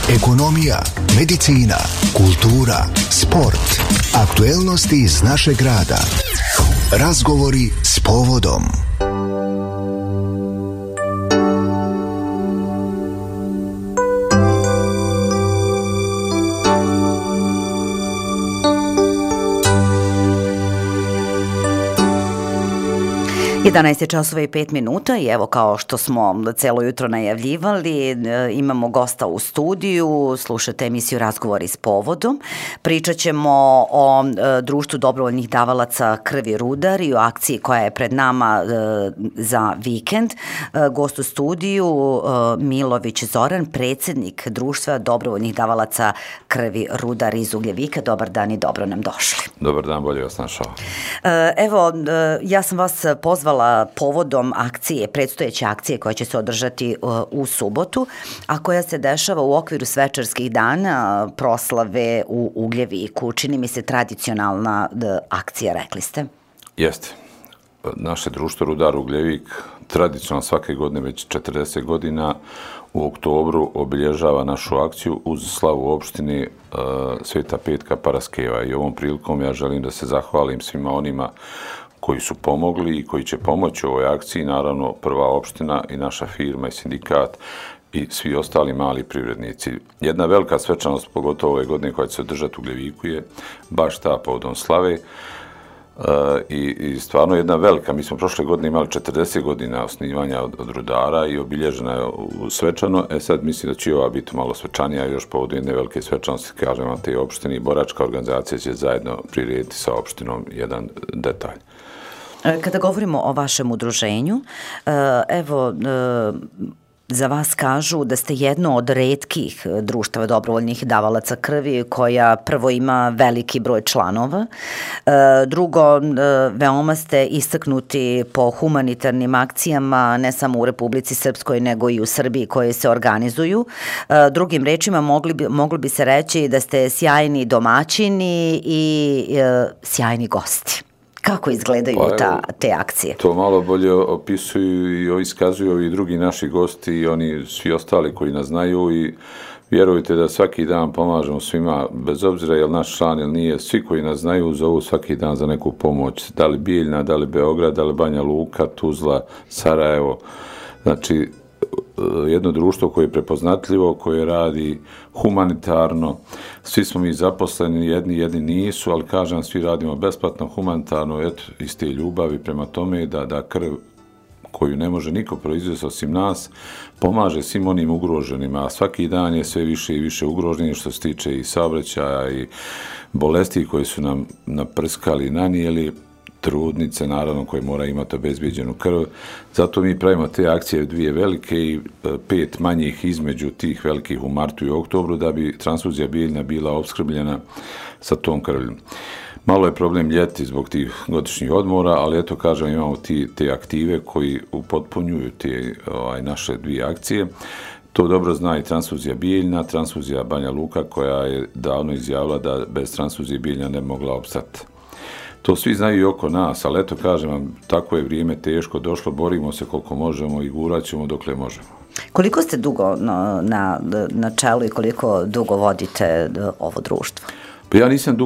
ekonomija, medicina, kultura, sport, aktuelnosti iz našeg grada. Razgovori s povodom. 11 časova i 5 minuta i evo kao što smo celo jutro najavljivali, imamo gosta u studiju, slušate emisiju Razgovori s povodom. Pričat ćemo o društvu dobrovoljnih davalaca krvi Rudar i o akciji koja je pred nama za vikend. Gost u studiju Milović Zoran, predsjednik društva dobrovoljnih davalaca krvi Rudar iz Ugljevika. Dobar dan i dobro nam došli. Dobar dan, bolje vas našao. Evo, ja sam vas pozvala povodom akcije, predstojeće akcije koja će se održati u subotu, a koja se dešava u okviru svečarskih dana proslave u Ugljeviku. Čini mi se tradicionalna akcija, rekli ste. Jeste. Naše društvo Rudar Ugljevik tradicionalno svake godine već 40 godina u oktobru obilježava našu akciju uz slavu opštine Sveta Petka Paraskeva. I ovom prilikom ja želim da se zahvalim svima onima koji su pomogli i koji će pomoći u ovoj akciji, naravno prva opština i naša firma i sindikat i svi ostali mali privrednici. Jedna velika svečanost, pogotovo ove godine koja će se održati u Ugljeviku, je baš ta povodom slave i stvarno jedna velika. Mi smo prošle godine imali 40 godina osnivanja od Rudara i obilježena je svečano. Sad mislim da će ova biti malo svečanija, još povodom jedne velike svečanosti, kažem vam, te opštine i boračka organizacija će zajedno prirediti sa opštinom jedan detalj. Kada govorimo o vašem udruženju, evo, za vas kažu da ste jedno od retkih društava dobrovoljnih davalaca krvi koja prvo ima veliki broj članova, drugo, veoma ste istaknuti po humanitarnim akcijama ne samo u Republici Srpskoj nego i u Srbiji koje se organizuju. Drugim rečima moglo bi se reći da ste sjajni domaćini i sjajni gosti. Kako izgledaju te akcije? To malo bolje opisuju i iskazuju i drugi naši gosti i oni svi ostali koji nas znaju i vjerujte da svaki dan pomažemo svima, bez obzira je li naš član ili nije, svi koji nas znaju zovu svaki dan za neku pomoć. Da li Bijeljna, da li Beograd, da li Banja Luka, Tuzla, Sarajevo. Znači, jedno društvo koje je prepoznatljivo, koje radi humanitarno. Svi smo mi zaposleni, jedni nisu, ali kažem, svi radimo besplatno, humanitarno, eto, iz te ljubavi prema tome da krv koju ne može niko proizvesti osim nas, pomaže svim onim ugroženima, a svaki dan je sve više i više ugroženi što se tiče i saobraćaja i bolesti koje su nam naprskali, nanijeli, trudnice, naravno, koje mora imati obezbijeđenu krv. Zato mi pravimo te akcije dvije velike i 5 manjih između tih velikih u martu i oktobru da bi transfuzija biljna bila opskrbljena sa tom krvljom. Malo je problem ljeti zbog tih godišnjih odmora, ali eto, kažem, imamo te aktive koji upotpunjuju te naše dvije akcije. To dobro zna i transfuzija biljna, transfuzija Banja Luka koja je davno izjavila da bez transfuzije biljna ne mogla opstati. To svi znaju i oko nas, ali eto, kažem vam, tako je vrijeme teško došlo, borimo se koliko možemo i gurat ćemo dokle možemo. Koliko ste dugo na čelu i koliko dugo vodite ovo društvo? Pa ja nisam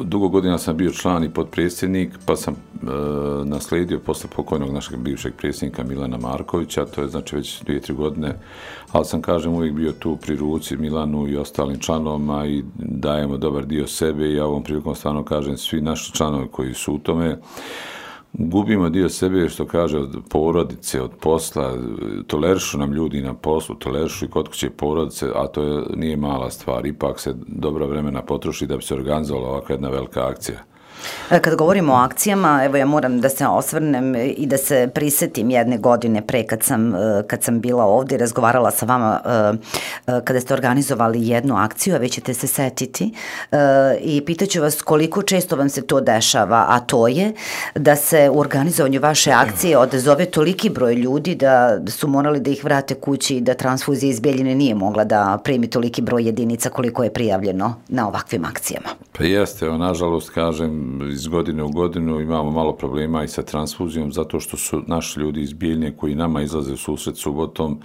dugo godina sam bio član i potpredsjednik, pa sam naslijedio posle pokojnog našeg bivšeg predsjednika Milana Markovića, to je znači već 2-3 godine, ali sam, kažem, uvijek bio tu pri ruci Milanu i ostalim članovima i dajemo dobar dio sebe i ja ovom prilikom stvarno kažem svi naši članovi koji su u tome, gubimo dio sebe, što kaže, od porodice, od posla, tolerišu nam ljudi na poslu, tolerišu i kod kuće porodice, a to nije mala stvar, ipak se dobro vremena potroši da bi se organizovala ovakva jedna velika akcija. Kad govorimo o akcijama, evo ja moram da se osvrnem i da se prisetim jedne godine pre kad sam bila ovdje i razgovarala sa vama kada ste organizovali jednu akciju, a vi ćete se setiti i pitaću vas koliko često vam se to dešava, a to je da se u organizovanju vaše akcije odazove toliki broj ljudi da su morali da ih vrate kući i da transfuzija iz Bijeljine nije mogla da primi toliki broj jedinica koliko je prijavljeno na ovakvim akcijama. Pa jeste, nažalost, kažem, iz godine u godinu imamo malo problema i sa transfuzijom, zato što su naši ljudi iz Bijeljne koji nama izlaze u susret subotom,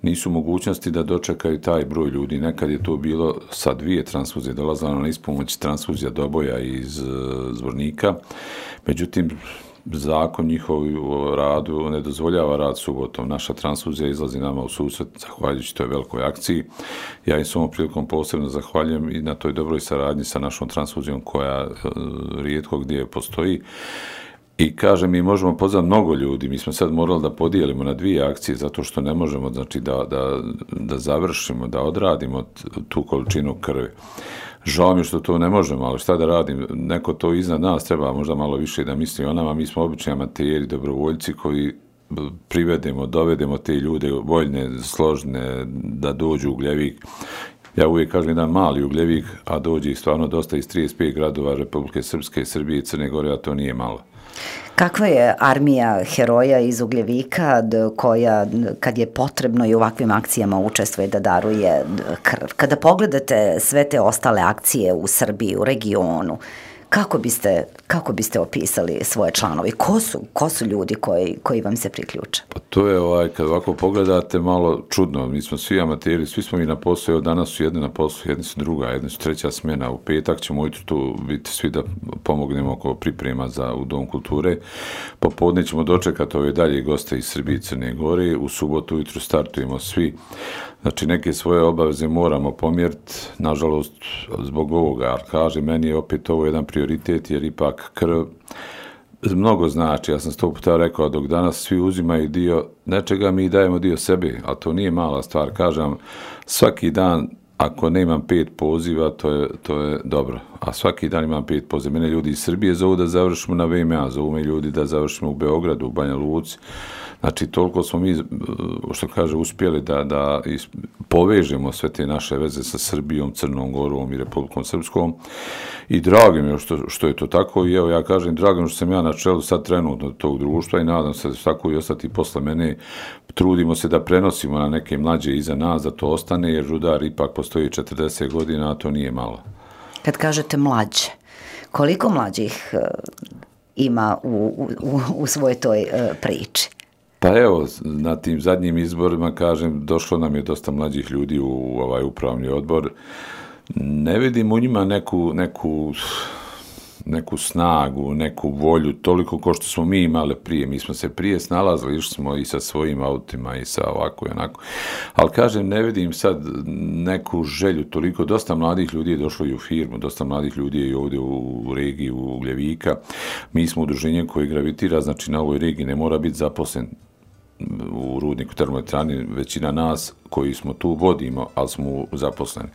nisu mogućnosti da dočekaju taj broj ljudi. Nekad je to bilo sa 2 transfuzije, dolazila na ispomoć transfuzija Doboja iz Zvornika. Međutim, zakon njihov u radu ne dozvoljava rad subotom. Naša transfuzija izlazi nama u susret zahvaljujući toj velikoj akciji. Ja im s ovom prilikom posebno zahvaljujem i na toj dobroj saradnji sa našom transfuzijom koja rijetko gdje postoji. I kažem, mi možemo pozvati mnogo ljudi, mi smo sad morali da podijelimo na 2 akcije zato što ne možemo, znači, da završimo, da odradimo tu količinu krvi. Žao mi što to ne možemo, ali šta da radim, neko to iznad nas treba možda malo više da misli o nama, mi smo obični amateri, dobrovoljci koji dovedemo te ljude voljne, složne, da dođu u Ugljevik. Ja uvijek kažem jedan mali Ugljevik, a dođe ih stvarno dosta iz 35 gradova Republike Srpske, Srbije i Crne Gore, a to nije malo. Kakva je armija heroja iz Ugljevika koja, kad je potrebno i u ovakvim akcijama učestvuje da daruje krv? Kada pogledate sve te ostale akcije u Srbiji, u regionu, kako biste opisali svoje članovi? Ko su ljudi koji vam se priključe? Pa to je, kad ovako pogledate, malo čudno. Mi smo svi amateri, svi smo mi na poslu, evo danas su jedni na poslu, jedni su druga, jedni su treća smjena. U petak ćemo ujutro tu biti svi da pomognemo oko priprema u Dom kulture. Popodne ćemo dočekati ove dalje goste iz Srbije i Crne Gore. U subotu ujutro startujemo svi. Znači, neke svoje obaveze moramo pomjeriti, nažalost, zbog ovoga, ali kaže, meni je opet ovo jedan prioritet, jer ipak krv mnogo znači. Ja sam 100 puta rekao, dok danas svi uzimaju dio nečega, mi dajemo dio sebe, ali to nije mala stvar. Kažem, svaki dan, ako nemam 5 poziva, to je dobro. A svaki dan imam 5 poziva. Mene ljudi iz Srbije zovu da završimo na VMA, zovu me ljudi da završimo u Beogradu, u Banja Luci. Znači, toliko smo mi, što kaže, uspjeli da povežemo sve te naše veze sa Srbijom, Crnom Gorom i Republikom Srpskom. I drago mi je što je to tako. I evo, ja kažem, drago mi što sam ja na čelu sad trenutno tog društva i nadam se da će tako i ostati posle mene. Trudimo se da prenosimo na neke mlađe iza nas, da to ostane, jer Rudar ipak postoji 40 godina, a to nije malo. Kad kažete mlađe, koliko mlađih ima u svojoj toj priči? Pa evo, na tim zadnjim izborima, kažem, došlo nam je dosta mlađih ljudi u ovaj upravni odbor. Ne vidim u njima neku snagu, neku volju, toliko kao što smo mi imali prije. Mi smo se prije snalazili, išli smo i sa svojim autima i sa ovako i onako. Ali kažem, ne vidim sad neku želju toliko. Dosta mladih ljudi je došlo i u firmu, dosta mladih ljudi je i ovdje u regiji, u Ugljevika. Mi smo udruženje koje gravitira, znači na ovoj regiji ne mora biti zaposlen u rudniku termoelektrani, većina nas koji smo tu vodimo, ali smo zaposleni.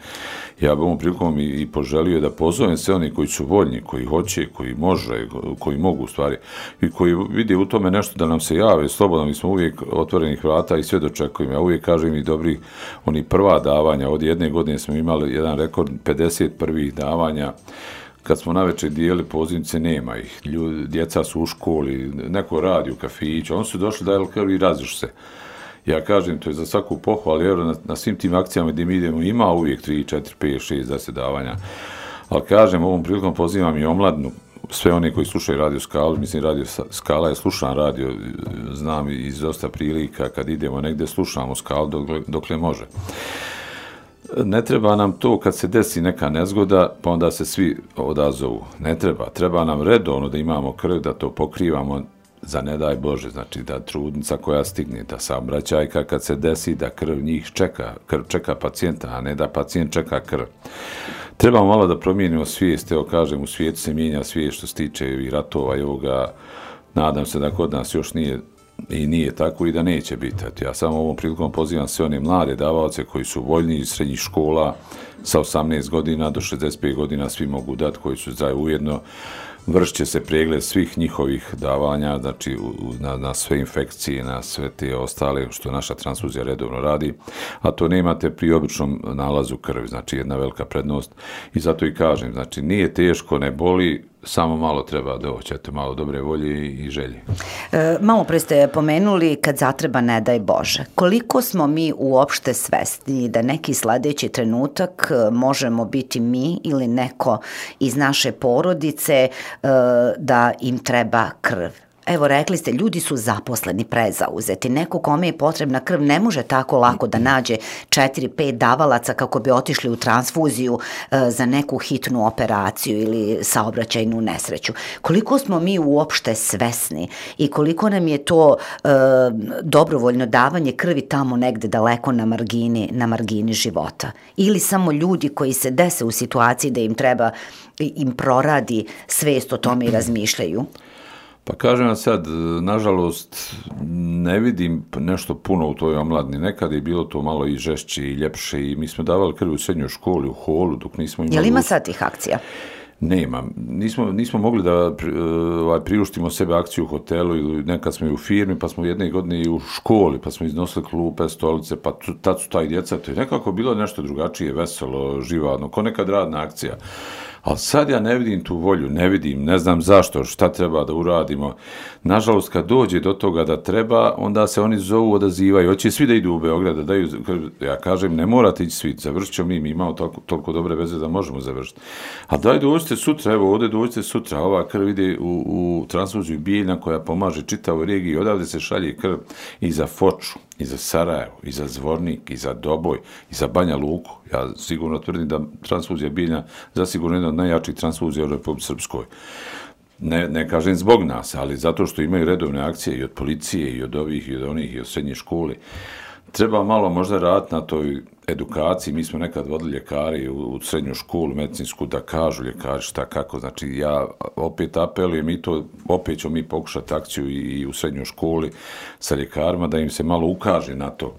Ja bih ovom prilikom i poželio da pozovem sve oni koji su voljni, koji hoće, koji može, koji mogu u stvari i koji vide u tome nešto da nam se jave slobodno. Mi smo uvijek otvorenih vrata i sve dočekujemo. Ja uvijek kažem i dobrih prva davanja. Od jedne godine smo imali jedan rekord 50 prvih davanja. Kad smo navečer dijeli pozivnice, nema ih. Djeca su u školi, neko radi u kafiću, oni su došli da krv i raziš se. Ja kažem, to je za svaku pohvalu, ali na svim tim akcijama gdje mi idemo ima uvijek 3, 4, 5, 6, 10 davanja. Ali kažem, ovom prilikom pozivam i omladnu, sve one koji slušaju Radio Skalu, mislim Radio Skala je slušan radio, znam iz dosta prilika, kad idemo negdje slušamo Skalu dokle može. Ne treba nam to kad se desi neka nezgoda, pa onda se svi odazovu. Ne treba. Treba nam redovno da imamo krv, da to pokrivamo za ne daj Bože. Znači da trudnica koja stigne, da saobraćajka kad se desi, da krv njih čeka. Krv čeka pacijenta, a ne da pacijent čeka krv. Trebamo malo da promijenimo svijest. Evo kažem, u svijetu se mijenja svijest što se tiče i ratova i ovoga. Nadam se da kod nas još nije tako i da neće biti. Ja samo ovom prilikom pozivam sve one mlade davaoce koji su voljni iz srednjih škola sa 18 godina do 65 godina, svi mogu dati, koji su ujedno. Vršit će se pregled svih njihovih davanja, znači na sve infekcije, na sve te ostale što naša transfuzija redovno radi, a to nemate pri običnom nalazu krvi, znači jedna velika prednost. I zato i kažem, znači nije teško, ne boli, samo malo treba doći, malo dobre volje i želje. Malo pre ste pomenuli kad zatreba ne daj Bože. Koliko smo mi uopšte svesni da neki sledeći trenutak možemo biti mi ili neko iz naše porodice da im treba krv. Evo, rekli ste, ljudi su zaposleni, prezauzeti. Neko kome je potrebna krv ne može tako lako da nađe 4-5 davalaca kako bi otišli u transfuziju za neku hitnu operaciju ili saobraćajnu nesreću. Koliko smo mi uopšte svesni i koliko nam je to dobrovoljno davanje krvi tamo negde daleko na margini života. Ili samo ljudi koji se dese u situaciji da im treba, im proradi svest o tome i razmišljaju. Pa kažem vam sad, nažalost, ne vidim nešto puno u toj omladini. Nekada je bilo to malo i žešće i ljepše i mi smo davali krv u srednjoj školi, u holu, dok nismo imali... Je li ima sad tih akcija? Nema. Nismo mogli da priuštimo sebe akciju u hotelu ili nekad smo i u firmi, pa smo jedne godine i u školi, pa smo iznosili klupe, stolice, pa tad su taj djeca. To je nekako bilo nešto drugačije, veselo, živadno, ko nekad radna akcija. Ali sad ja ne vidim tu volju, ne znam zašto, šta treba da uradimo. Nažalost, kad dođe do toga da treba, onda se oni zovu, odazivaju. Hoće svi da idu u Beograd, da daju, ja kažem, ne morate ići svi, završit ćemo mi imamo toliko dobre veze da možemo završiti. A daj dođite sutra, evo ovdje dođite sutra, ova krv ide u transfuziju Bijeljna koja pomaže čitavoj regiji, odavde se šalje krv i za Foču, i za Sarajevo, i za Zvornik, i za Doboj, i za Banja Luku. Ja sigurno tvrdim da transfuzija Bijeljna zasigurno jedna od najjačih transfuzija u Republici Srpskoj. Ne kažem zbog nas, ali zato što imaju redovne akcije i od policije, i od ovih, i od onih, i od srednje škole. Treba malo možda raditi na toj edukaciji. Mi smo nekad vodili ljekari u srednju školu, medicinsku, da kažu ljekari šta kako. Znači, ja opet apelujem i to, opet ćemo mi pokušati akciju i u srednjoj školi sa ljekarima, da im se malo ukaže na to.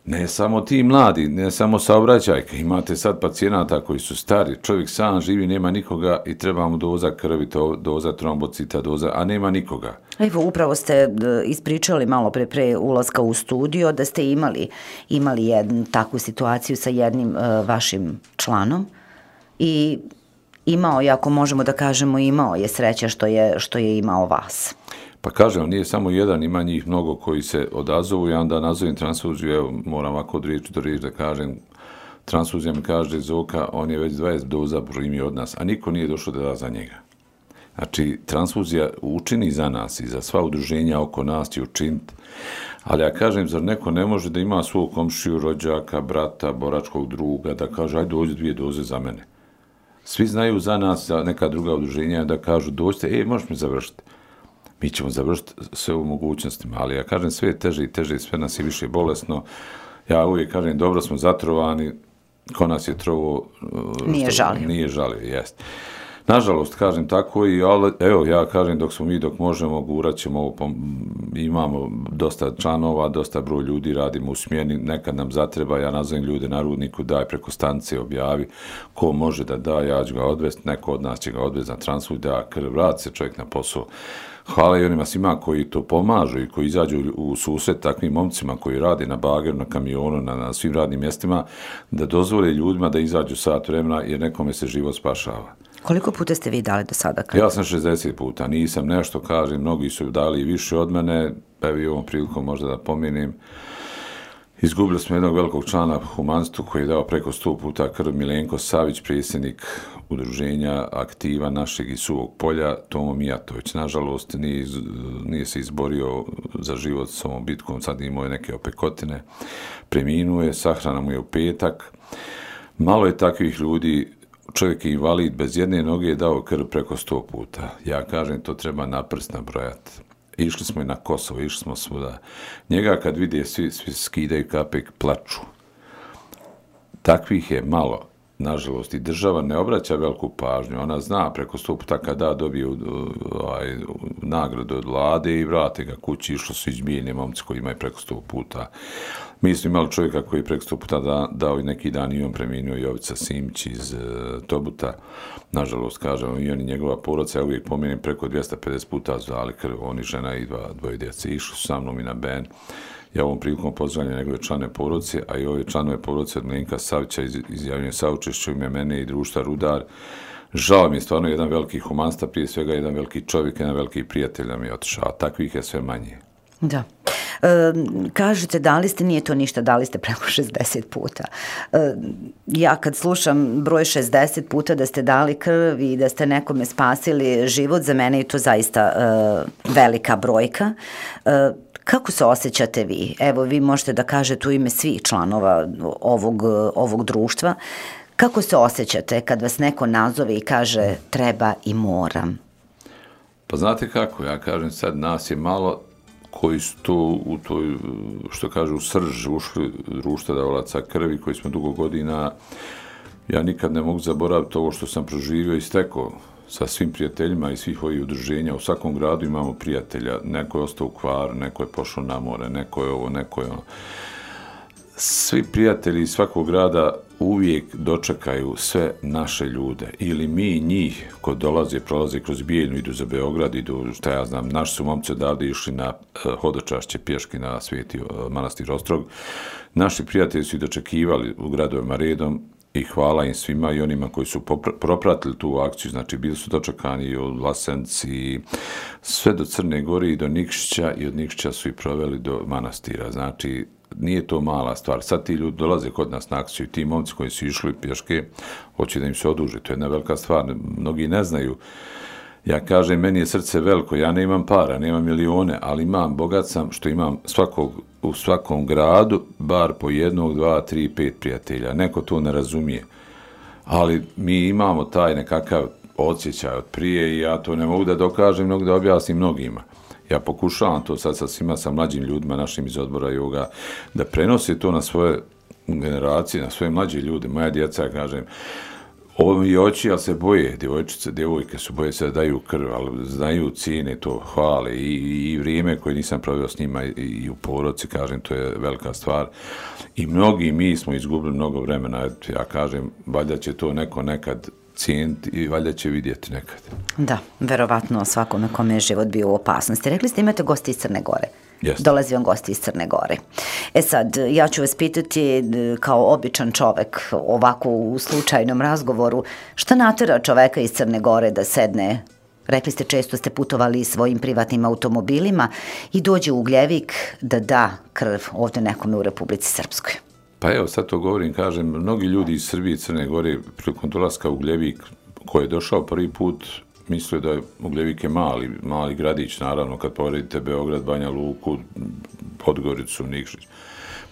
Ne samo ti mladi, ne samo saobraćajke, imate sad pacijenata koji su stari, čovjek sam živi, nema nikoga i treba mu doza krvi, doza trombocita, a nema nikoga. Evo, upravo ste ispričali malo pre ulaska u studio da ste imali jednu takvu situaciju sa jednim vašim članom i imao je, ako možemo da kažemo, imao je sreća što je imao vas. Pa kažem, nije samo jedan, ima njih mnogo koji se odazovu, ja onda nazovem transfuziju, evo, moram ovako od riječi do riječi da kažem, transfuzija mi kaže Zoka, on je već 20 doza primio od nas, a niko nije došao da da za njega. Znači, transfuzija učini za nas i za sva udruženja oko nas će učiniti, ali ja kažem, zar neko ne može da ima svog komšiju, rođaka, brata, boračkog druga, da kaže, ajde dođi 2 doze za mene. Svi znaju za nas, za neka druga udruženja, da kažu, dođite, možeš mi završiti. Mi ćemo završiti sve u mogućnostima, ali ja kažem, sve je teže i teže, sve nas je više bolesno. Ja uvijek kažem, dobro smo zatrovani, ko nas je trovo... Nije žalio, jest. Nažalost, kažem tako, ali evo, ja kažem, dok možemo, gurat ćemo ovo, imamo dosta članova, dosta broj ljudi, radimo u smjeni, nekad nam zatreba, ja nazovem ljude na Rudniku, daj preko stanice, objavi, ko može da da, ja ću ga odvesti, neko od nas će ga odvesti na transfuziju, da krv, vrati se čovjek na posao. Hvala i onima svima koji to pomažu i koji izađu u susret takvim momcima koji rade na bageru, na kamionu, na svim radnim mjestima, da dozvole ljudima da izađu sat vremena jer nekome se život spašava. Koliko puta ste vi dali do sada krv? Ja sam 60 puta, nisam nešto, kažem, mnogi su dali više od mene, evo i ovom prilikom možda da pomenem. Izgubili smo jednog velikog člana humanstvu koji je dao preko 100 puta krv, Milenko Savić, predsjednik udruženja aktiva našeg iz Suvog polja, Tomo Mijatović. Nažalost, nije se izborio za život s ovom bitkom, sad imao je neke opekotine, preminuo je, sahrana mu je u petak. Malo je takvih ljudi, čovjek je invalid, bez jedne noge je dao krv preko 100 puta. Ja kažem, to treba na prst nabrojati. Išli smo i na Kosovo, išli smo svuda. Njega kad vide, svi skidaju kape, plaču. Takvih je malo, nažalost, i država ne obraća veliku pažnju. Ona zna preko 100 puta kada dobije nagradu od vlade i vrate ga kući, išlo su izbijeni momci koji imaju preko 100 puta. Mi smo imali čovjeka koji je preko 100 puta dao i neki dan i on preminuo, Jovica Simić iz Tobuta. Nažalost, kažem, i on i njegova porodica, ja uvijek pomenem, preko 250 puta su dali krv, oni žena i dvoje djece. Išli su sa mnom i na Ben. Ja ovom prilikom pozdravljam njegove člane porodice, a i ove članove porodice od Milenka Savića izjavljujem saučešću ime mene i društva Rudar. Žao mi je stvarno jedan veliki humanista, prije svega jedan veliki čovjek, jedan veliki prijatelj nam je otišao, a takvih je sve manje. Da. Kažete, dali ste, nije to ništa, dali ste preko 60 puta. Ja kad slušam broj 60 puta da ste dali krv i da ste nekome spasili život, za mene je to zaista velika brojka. Kako se osjećate vi? Evo, vi možete da kažete u ime svih članova ovog društva. Kako se osjećate kad vas neko nazove i kaže treba i moram? Pa znate kako, ja kažem sad, nas je malo koji su tu u toj, što kažu, u srž ušli društva davalaca krvi, koji smo dugo godina. Ja nikad ne mogu zaboraviti ovo što sam proživio i stekao sa svim prijateljima i svih ovih udruženja. U svakom gradu imamo prijatelja. Neko je ostao u Hvaru, neko je pošao na more, neko je ovo, neko je ono. Svi prijatelji iz svakog grada uvijek dočekaju sve naše ljude. Ili mi njih, ko prolaze kroz Bijeljnu, idu za Beograd, idu, šta ja znam, naši su momci odavde išli na hodočašće pješke na Sveti manastir Ostrog. Naši prijatelji su i dočekivali u gradovima redom i hvala im svima i onima koji su propratili tu akciju, znači bili su dočekani od Vlasenci, sve do Crne Gore i do Nikšića i od Nikšića su i proveli do manastira, znači nije to mala stvar. Sad ti ljudi dolaze kod nas na akciju i ti momci koji su išli pješke, hoće da im se oduži, to je jedna velika stvar, mnogi ne znaju. Ja kažem, meni je srce veliko, ja ne imam para, nemam milione, ali imam, bogat sam što imam u svakom gradu bar po 1, 2, 3, 5 prijatelja. Neko to ne razumije, ali mi imamo taj nekakav osjećaj od prije i ja to ne mogu da dokažem, nego da objasnim mnogima. Ja pokušavam to sad sa svima, sa mlađim ljudima našim iz odbora Yoga, da prenose to na svoje generacije, na svoje mlađe ljude. Moja djeca, ja kažem, ovo mi oči, ali se boje, djevojčice, djevojke su boje se da daju krv, ali znaju cijene to, hvale i vrijeme koje nisam proveo s njima i u porodci, kažem, to je velika stvar. I mi smo izgubili mnogo vremena, ja kažem, valjda će to neko nekad cijeniti i valjda će vidjeti nekad. Da, verovatno svakome kome je život bio u opasnosti. Rekli ste imate gosti iz Crne Gore. Jeste. Dolazi vam gosti iz Crne Gore. Sad, ja ću vas pitati kao običan čovek, ovako u slučajnom razgovoru, šta natera čoveka iz Crne Gore da sedne, rekli ste često ste putovali svojim privatnim automobilima i dođe u Ugljevik da da krv ovdje nekome u Republici Srpskoj? Pa evo, sad to govorim, kažem, mnogi ljudi iz Srbije i Crne Gore prilikom dolaska u Ugljevik, ko je došao prvi put, mislio da je Ugljevik je mali gradić, naravno, kad poredite Beograd, Banja Luku, Podgoricu, Nikšić.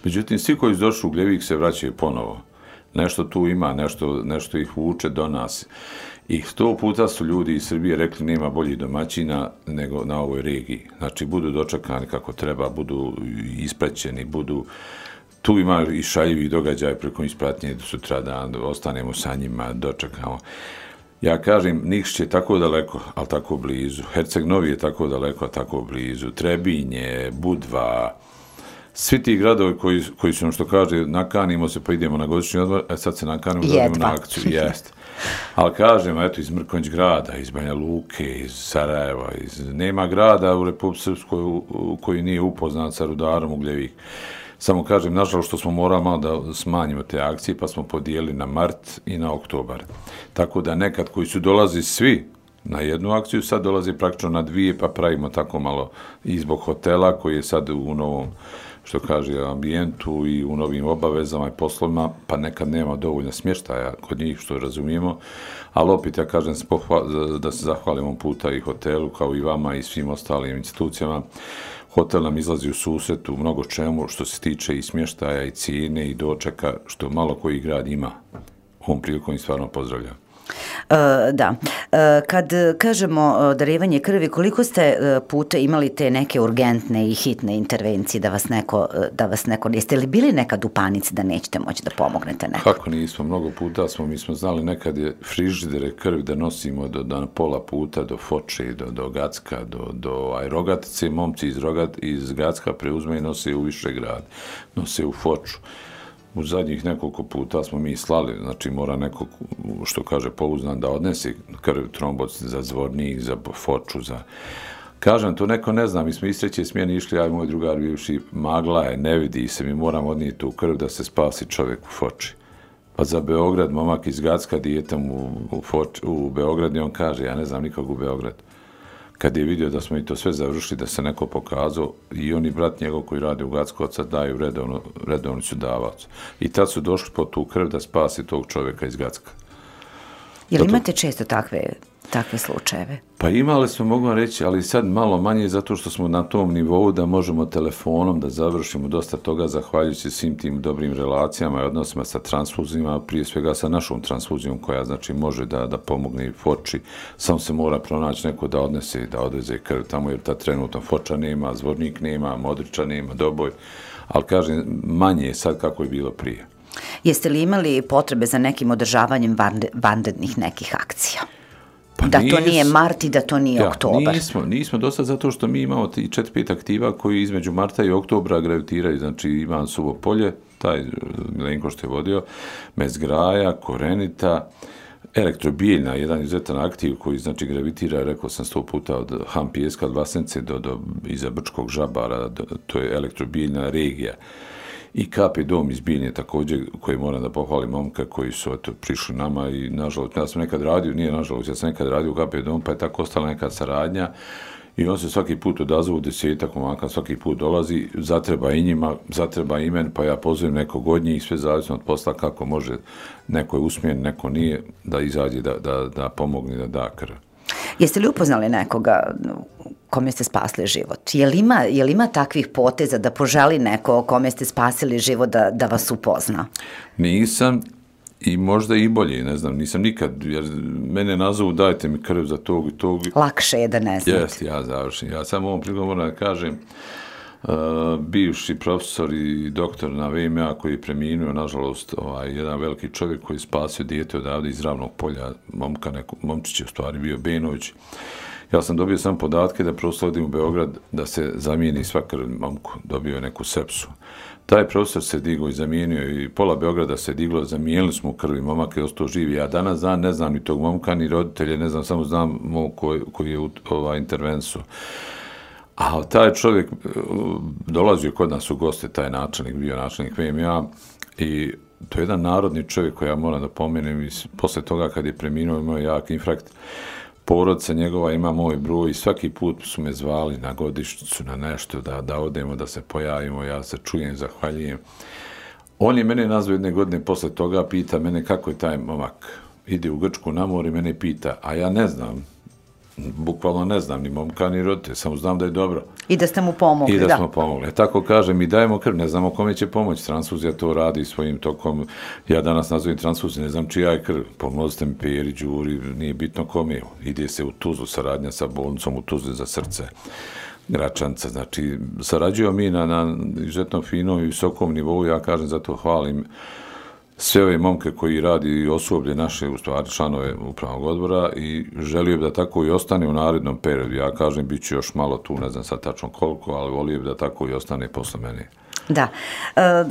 Međutim, svi koji su došli u Ugljevik se vraćaju ponovo. Nešto tu ima, nešto ih vuče do nas. I 100 puta su ljudi iz Srbije rekli nema boljih domaćina nego na ovoj regiji. Znači, budu dočekani kako treba, budu ispraćeni, budu... Tu ima i šaljivi događaj preko ispratnje sutradan, ostanemo sa njima, dočekamo. Ja kažem, Nikšić je tako daleko, ali tako blizu. Herceg Novi je tako daleko, ali tako blizu. Trebinje, Budva, svi ti gradovi koji su nam što kaže, nakanimo se pa idemo na godišnji odmor, sad se nakanimo da idemo na akciju. Jeste. Ali kažem, eto, iz Mrkonjić grada, iz Banja Luke, iz Sarajeva, nema grada u Republici Srpskoj koji nije upoznat sa rudarom Ugljevik. Samo kažem, nažalost, što smo morali malo da smanjimo te akcije, pa smo podijelili na mart i na oktobar. Tako da nekad koji su dolazi svi na jednu akciju, sad dolazi praktično na 2, pa pravimo tako malo i zbog hotela koji je sad u novom, što kaže, ambijentu i u novim obavezama i poslovima, pa nekad nema dovoljno smještaja kod njih, što razumijemo. Ali opet, ja kažem, da se zahvalimo puta i hotelu, kao i vama i svim ostalim institucijama. Hotel nam izlazi u susret u mnogo čemu što se tiče i smještaja i cijene i dočeka, što malo koji grad ima. Ovom prilikom i stvarno pozdravljam. Da. Kad kažemo darivanje krvi, koliko ste puta imali te neke urgentne i hitne intervencije da vas neko jeste li bili nekad u panici da nećete moći da pomognete neko? Kako nismo, mnogo puta mi smo znali nekad je frižidere krvi da nosimo do pola puta, do Foče, do Gacka, do Rogatice, momci iz Gacka preuzme i nose u Višegrad, nose u Foču. U zadnjih nekoliko puta smo mi slali, znači mora neko, što kaže, pouznan da odnesi krv, tromboc za Zvornik, za Foču, za... Kažem, to neko ne zna, mi smo iz 3. smjene išli, ja i moj drugar bivši, magla je, ne vidi se, mi moramo odnijeti tu krv da se spasi čovjek u Foči. Pa za Beograd, momak iz Gacka, dijetom u Beograd i on kaže, ja ne znam nikog u Beogradu. kad je vidio da smo i to sve završili, da se neko pokazao, i on i brat njegov koji radi u Gacko, sad daju redovni su davac. I tad su došli po tu krv da spasi tog čovjeka iz Gacka. Jel imate često takve slučajeve? Pa imali smo, mogu vam reći, ali sad malo manje zato što smo na tom nivou da možemo telefonom da završimo dosta toga zahvaljujući svim tim dobrim relacijama i odnosima sa transfuzijama, prije svega sa našom transfuzijom koja znači može da pomogne i Foči. Samo se mora pronaći neko da odnese i da odveze krv tamo jer ta trenutno Foča nema, Zvornik nema, Modriča nema, Doboj, ali kažem manje je sad kako je bilo prije. Jeste li imali potrebe za nekim održavanjem vanrednih nekih akcija? Pa da to nije mart i da to nije oktobar. Nismo dosta zato što mi imamo 4-5 aktiva koji između marta i oktobra gravitiraju. Znači Ivan Suvo Polje, taj Milenko što je vodio, Mezgraja, Korenita, Elektrobijeljna, jedan izuzetan aktiv koji znači gravitira, rekao sam 100 puta od Ham Pijeska, od Vlasence do iza Brčkog Žabara, to je Elektrobijeljna regija. I KP Dom iz Bijeljne također, koji moram da pohvalim momka koji su prišli nama i nažalost, ja sam nekad radio, nije nažalost, ja sam nekad radio u KP Dom, pa je tako ostala neka saradnja i on se svaki put odazovu 10 momaka, svaki put dolazi, zatreba i njima, zatreba i meni, pa ja pozovem nekog od njih, sve zavisno od posla kako može, neko je usmjen, neko nije, da izađe, da pomogne, da da krv. Jeste li upoznali nekoga kome ste spasili život? Je li ima takvih poteza da poželi neko kome ste spasili život da vas upozna? Nisam i možda i bolje, ne znam, nisam nikad, jer mene nazovu dajte mi krv za tog i tog. Lakše je da ne znate. Jeste, ja završim. Ja samo ovom prigodom moram da kažem, bivši profesor i doktor na VMA koji je preminuo, nažalost, jedan veliki čovjek koji je spasio dijete odavde iz Ravnog polja, momčić je u stvari bio Benović. Ja sam dobio sam podatke da prosto odim u Beograd da se zamijeni sva krv momku, dobio je neku sepsu. Taj profesor se digao i zamijenio i pola Beograda se diglo, zamijenili smo krvi, momak je ostao živi. Ja danas ne znam ni tog momka, ni roditelje, ne znam, samo znam koji je u intervensu. A taj čovjek dolazio kod nas u goste, taj načelnik, bio načelnik VMA i to je jedan narodni čovjek koji ja moram da pomenem i posle toga kad je preminuo imao jak infarkt, porodica njegova ima moj broj i svaki put su me zvali na godišnjicu, na nešto, da odemo, da se pojavimo, ja se čujem, zahvaljujem. On je mene nazvao jedne godine posle toga, pita mene kako je taj momak, ide u Grčku na more i mene pita, a ja ne znam, bukvalno ne znam ni momka ni roditelja, samo znam da je dobro. I da ste mu pomogli, I da smo pomogli. Tako kaže, mi dajemo krv, ne znamo kome će pomoći. Transfuzija to radi svojim tokom. Ja danas nazovem transfuziju, ne znam čija je krv. Pomozite mi Peri, Đuri, nije bitno kome. Ide se u Tuzlu, saradnja sa bolnicom u Tuzli za srce. Gračanca, znači, sarađujemo mi na izuzetno finom i visokom nivou, ja kažem, zato hvalim sve ove momke koji radi i osoblje naše, u stvari članove upravnog odbora i želio bi da tako i ostane u narednom periodu. Ja kažem, bit ću još malo tu, ne znam sad tačno koliko, ali volio bi da tako i ostane posle mene. Da.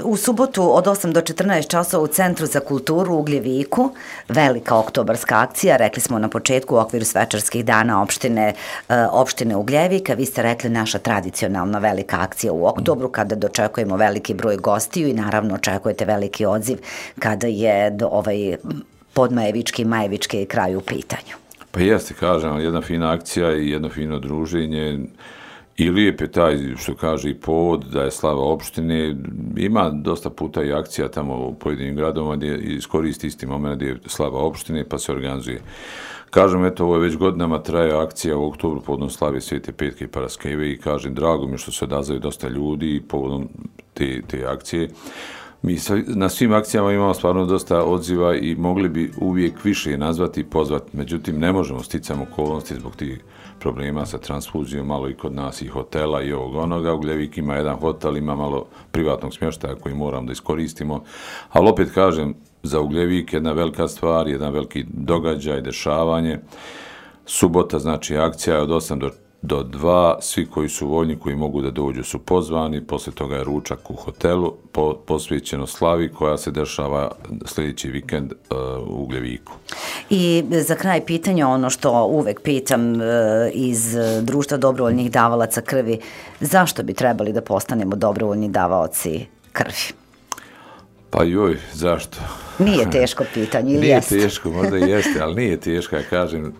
U subotu od 8 do 14 časova u Centru za kulturu u Ugljeviku, velika oktobarska akcija, rekli smo na početku u okviru svečarskih dana opštine Ugljevika, vi ste rekli naša tradicionalna velika akcija u oktobru kada dočekujemo veliki broj gostiju i naravno očekujete veliki odziv kada je podmajevički i majevički kraj u pitanju. Pa jeste, kažem, jedna fina akcija i jedno fino druženje. I lijep je taj, što kaže, i povod da je slava opštine. Ima dosta puta i akcija tamo u pojedinim gradovima gdje iskoristi isti moment gdje je slava opštine pa se organizuje. Kažem, eto, ovo je već godinama traje akcija u oktobru povodom slave Svete Petke i Paraskeve i kažem, drago mi je što se odazvaju dosta ljudi povodom te akcije. Mi na svim akcijama imamo stvarno dosta odziva i mogli bi uvijek više nazvati i pozvati, međutim ne možemo sticam okolnosti zbog tih problema sa transfuzijom, malo i kod nas i hotela i ovog onoga. Ugljevik ima jedan hotel, ima malo privatnog smještaja koji moram da iskoristimo, ali opet kažem, za Ugljevik jedna velika stvar, jedan veliki događaj, dešavanje. Subota, znači akcija je od 8 do 2, svi koji su voljni, koji mogu da dođu su pozvani, posle toga je ručak u hotelu, posvećeno slavi koja se dešava sljedeći vikend u Ugljeviku. I za kraj pitanja, ono što uvek pitam iz Društva dobrovoljnih davalaca krvi, zašto bi trebali da postanemo dobrovoljni davaoci krvi? Pa joj, zašto? Nije teško pitanje, ili jeste? Nije teško, možda i jeste, ali nije teško. Ja kažem,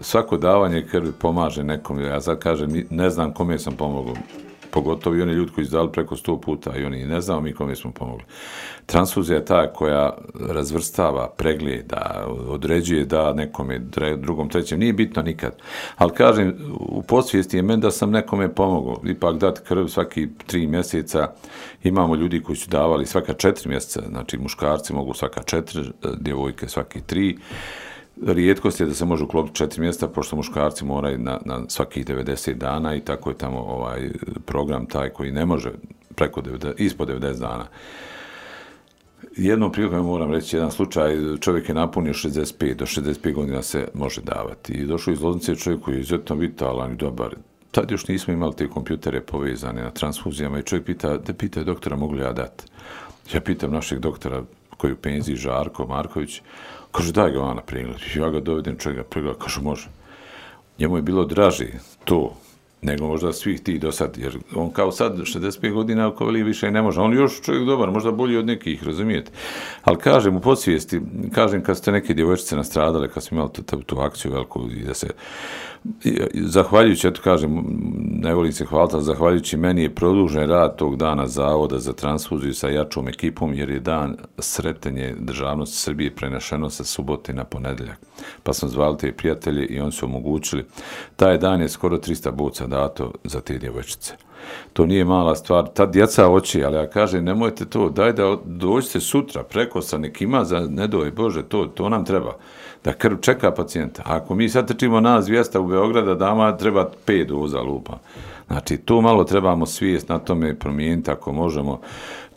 svako davanje krvi pomaže nekom. Ja sad kažem, ne znam kome sam pomogao. Pogotovo i oni ljudi koji su dali preko 100 puta i oni ne znamo mi kome smo pomogli. Transfuzija je ta koja razvrstava, pregleda, određuje da nekome, drugom, trećem, nije bitno nikad. Ali kažem, u podsvijesti je meni da sam nekome pomogao. Ipak dati krv svaki 3 mjeseca, imamo ljudi koji su davali svaka 4 mjeseca, znači muškarci mogu svaka 4, djevojke svaki 3. Rijetkost je da se može uklopiti 4 mjesta, pošto muškarci moraju na svakih 90 dana i tako je tamo program taj koji ne može ispod 90 dana. Jednom prilikom moram reći jedan slučaj, čovjek je napunio 65, do 65 godina se može davati. I došao iz Loznice čovjek koji je izuzetno vitalan i dobar. Tad još nismo imali te kompjutere povezane na transfuzijama i čovjek pita doktora mogu li ja dati. Ja pitam našeg doktora koji je u penziji, Žarko Marković, kaže, daj ga na pregled. Ja ga dovedem, čovjek ga pregleda, kaže, može. Njemu je bilo draži to, nego možda svih tih do sad, jer on kao sad 65 godina, ako veli više ne može. On još čovjek dobar, možda bolji od nekih, razumijete. Ali kažem, u podsvijesti, kažem kad ste neke djevojčice nastradale, kad smo imali tu akciju veliku i da se zahvaljujući, eto kažem, ne volim se hvaliti, ali zahvaljujući meni je produžen rad tog dana Zavoda za transfuziju sa jačom ekipom, jer je dan Sretenje državnosti Srbije prenešeno sa subote na ponedeljak. Pa smo zvali te prijatelje i oni su omogućili. Taj dan je skoro 300 boca dato za te djevojčice. To nije mala stvar. Ta djeca hoće, ali ja kažem, nemojte to, daj da dođete sutra, preko sa nekima, za ne doj Bože, to nam treba. Da krv čeka pacijenta. Ako mi sad trčimo nas 200 u Beograda, dama treba 5 doza lupa. Znači, to malo trebamo svijest na tome promijeniti ako možemo.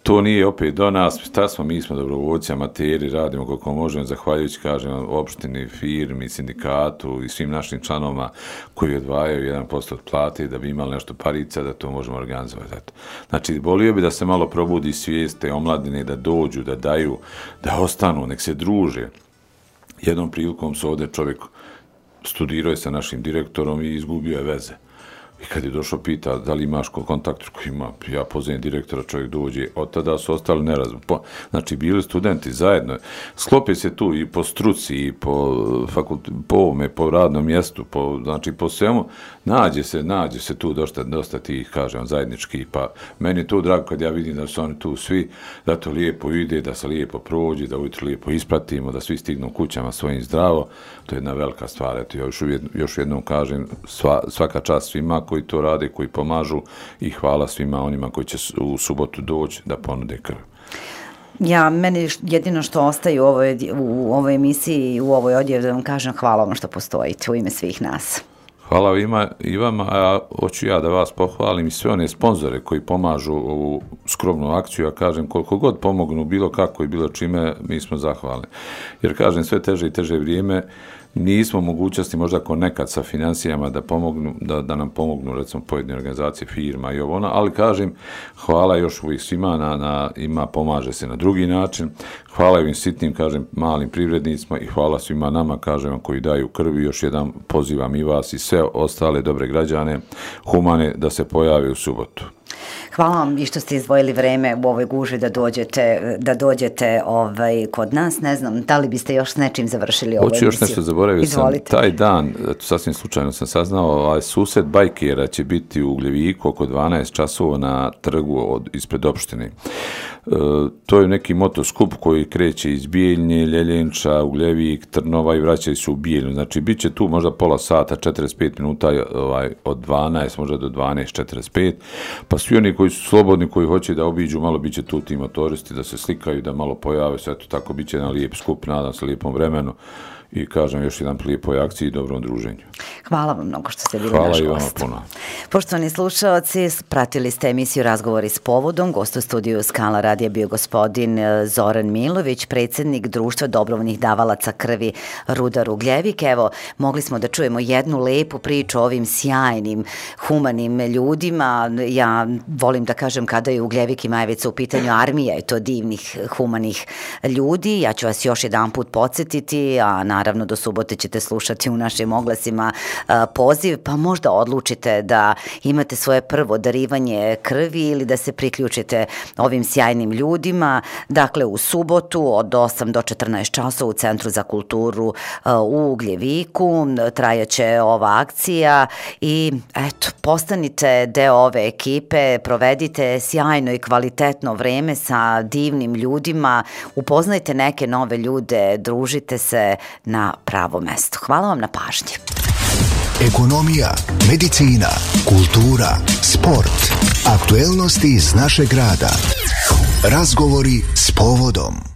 To nije opet do nas, mi smo dobrovoljci, amateri, radimo koliko možemo, zahvaljujući, kažem, opštini, firmi, sindikatu i svim našim članovima koji odvajaju 1% od plate da bi imali nešto parica, da to možemo organizovati. Znači, volio bi da se malo probudi svijest te omladine, da dođu, da daju, da ostanu, nek se druže. Jednom prilikom se ovdje čovjek studirao je sa našim direktorom i izgubio je veze. I kad je došao pita da li imaš kontakt, ima, ja pozivim direktora, čovjek dođe, od tada su ostali nerazum. Znači, bili studenti zajedno, sklope se tu i po struci, i po ovome, po radnom mjestu, znači po svemu, nađe se tu dosta tih, kažem, zajedničkih, pa meni je to drago kad ja vidim da su oni tu svi, da to lijepo ide, da se lijepo prođe, da ujutro lijepo ispratimo, da svi stignu kućama svojim zdravo, to je jedna velika stvar. Eto, ja još jednom kažem, svaka čast svima koji to rade, koji pomažu i hvala svima onima koji će u subotu doći da ponude krv. Meni jedino što ostaje u ovoj emisiji i u ovoj odjevi da vam kažem hvala vam što postojite u ime svih nas. Hvala i vama, a hoću ja da vas pohvalim i sve one sponzore koji pomažu ovu skromnu akciju, ja kažem koliko god pomognu bilo kako i bilo čime, mi smo zahvalni. Jer kažem sve teže i teže vrijeme, nismo mogućnosti možda ako nekad sa financijama da nam pomognu recimo pojedine organizacije, firma i ovo ono, ali kažem hvala još uvijek svima pomaže se na drugi način, hvala ovim sitnim, kažem, malim privrednicima i hvala svima nama, kažem, koji daju krvi, još jedan pozivam i vas i sve ostale dobre građane, humane, da se pojave u subotu. Hvala vam i što ste izdvojili vreme u ovoj guži da dođete kod nas. Ne znam, da li biste još s nečim završili ovu emisiju? Hoću još nešto, zaboravio sam. Taj dan, sasvim slučajno sam saznao, susret bajkera će biti u Ugljeviku oko 12 časova na trgu ispred opštine. To je neki motoskup koji kreće iz Bijeljne, Ljeljenča, Ugljevik, Trnova i vraćaju se u Bijeljnu. Znači, bit će tu možda pola sata, 45 minuta od 12, možda do 12:45, pa svi oni koji su slobodni, koji hoće da obiđu, malo bit će tu ti motoristi, da se slikaju, da malo pojave se, eto tako bit će jedan lijep skup, nadam se lijepom vremenu i kažem još jedan lijepoj akciji i dobrom druženju. Hvala vam mnogo što ste bili naš gost. Hvala i vama puno. Poštovani slušalci, pratili ste emisiju Razgovori s povodom. Gost u studiju Skala radija bio gospodin Zoran Milović, predsjednik Društva dobrovoljnih davalaca krvi Rudar Ugljevik. Evo, mogli smo da čujemo jednu lepu priču o ovim sjajnim, humanim ljudima. Ja volim da kažem kada je Ugljevik i Majevica u pitanju armija i to divnih, humanih ljudi. Ja ću vas još jedan put podsjetiti, a naravno do subote ćete slušati u našim oglasima poziv, pa možda odlučite da imate svoje prvo darivanje krvi ili da se priključite ovim sjajnim divnim ljudima. Dakle, u subotu od 8 do 14 časova u Centru za kulturu u Ugljeviku trajaće ova akcija i eto, postanite deo ove ekipe, provedite sjajno i kvalitetno vreme sa divnim ljudima, upoznajte neke nove ljude, družite se na pravo mesto. Hvala vam na pažnji. Ekonomija, medicina, kultura, sport, aktuelnosti iz našeg grada. Razgovori s povodom.